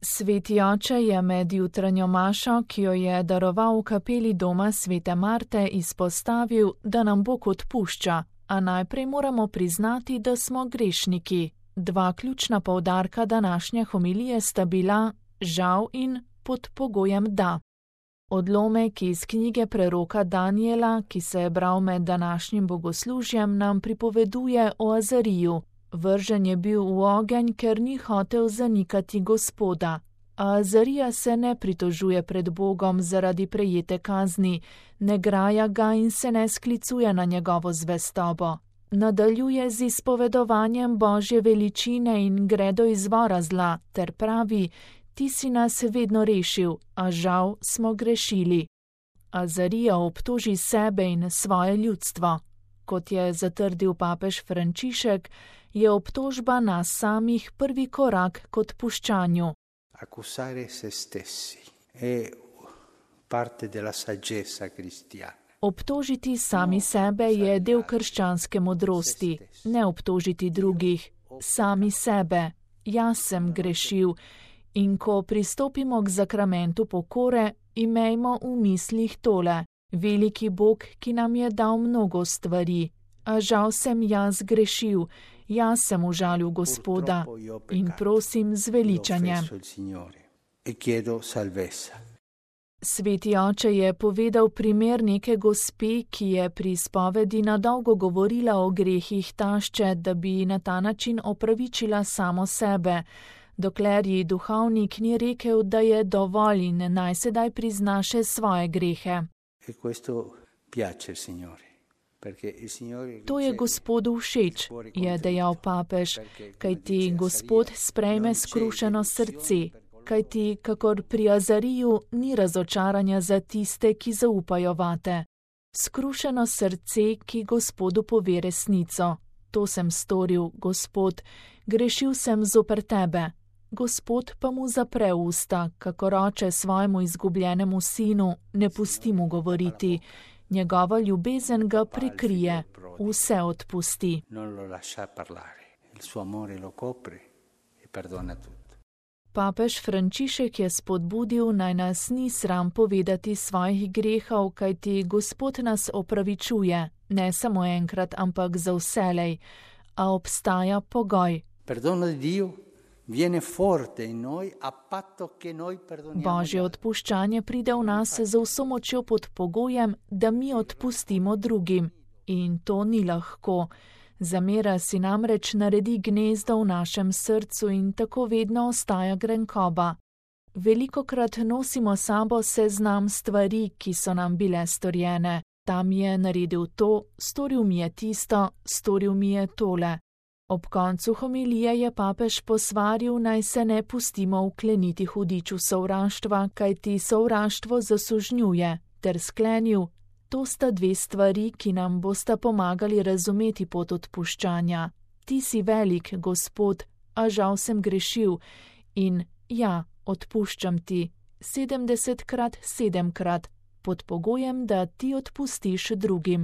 Sveti oče je med jutranjo mašo, ki jo je daroval v kapeli doma svete Marte, izpostavil, da nam Bog odpušča, a najprej moramo priznati, da smo grešniki. Dva ključna poudarka današnje homilije sta bila žal in pod pogojem da. Odlomek iz knjige preroka Danijela, ki se je bral med današnjim bogoslužjem, nam pripoveduje o Azariju. Vržen je bil v ogenj, ker ni hotel zanikati Gospoda. A Azarija se ne pritožuje pred Bogom zaradi prejete kazni, ne graja ga in se ne sklicuje na njegovo zvestobo. Nadaljuje z izpovedovanjem Božje veličine in gre do izvora zla, ter pravi: Ti si nas vedno rešil, a žal smo grešili. Azarija obtoži sebe in svoje ljudstvo. Kot je zatrdil papež Frančišek, je obtožba nas samih prvi korak k odpuščanju. Accusare se stessi è parte della saggezza cristiana. Obtožiti sami sebe je del krščanske modrosti, ne obtožiti drugih, sami sebe. Jaz sem grešil. In ko pristopimo k zakramentu pokore, imejmo v mislih tole: veliki Bog, ki nam je dal mnogo stvari, a žal sem jaz grešil, jaz sem užalil Gospoda in prosim z veličanjem. Sveti oče je povedal primer neke gospe, ki je pri spovedi na dolgo govorila o grehih tašče, da bi na ta način opravičila samo sebe, dokler ji duhovnik ni rekel, da je dovolj in naj sedaj prizna še svoje grehe. To je Gospodu všeč, je dejal papež, kajti Gospod sprejme skrušeno srce, kajti kakor pri Azariju ni razočaranja za tiste, ki zaupajo vate. Skrušeno srce, ki Gospodu pove resnico: to sem storil, Gospod, grešil sem zoper tebe. Gospod pa mu zapre usta, kakor oče svojemu izgubljenemu sinu, ne pusti mu govoriti. Njegova ljubezen ga prikrije, vse odpusti. Papež Frančišek je spodbudil, naj nas ni sram povedati svojih grehov, kajti Gospod nas opravičuje, ne samo enkrat, ampak za vselej. A obstaja pogoj. Božje odpuščanje pride v nas z vso močjo pod pogojem, da mi odpustimo drugim. In to ni lahko. Zamera si namreč naredi gnezdo v našem srcu in tako vedno ostaja grenkoba. Velikokrat nosimo sabo seznam stvari, ki so nam bile storjene. Tam je naredil to, storil mi je tisto, storil mi je tole. Ob koncu homilije je papež posvaril, naj se ne pustimo vkleniti hudiču sovraštva, kajti sovraštvo zasužnjuje, ter sklenil: to sta dve stvari, ki nam bosta pomagali razumeti pot odpuščanja. Ti si velik, Gospod, a žal sem grešil in ja, odpuščam ti 70krat, 7krat, pod pogojem, da ti odpustiš drugim.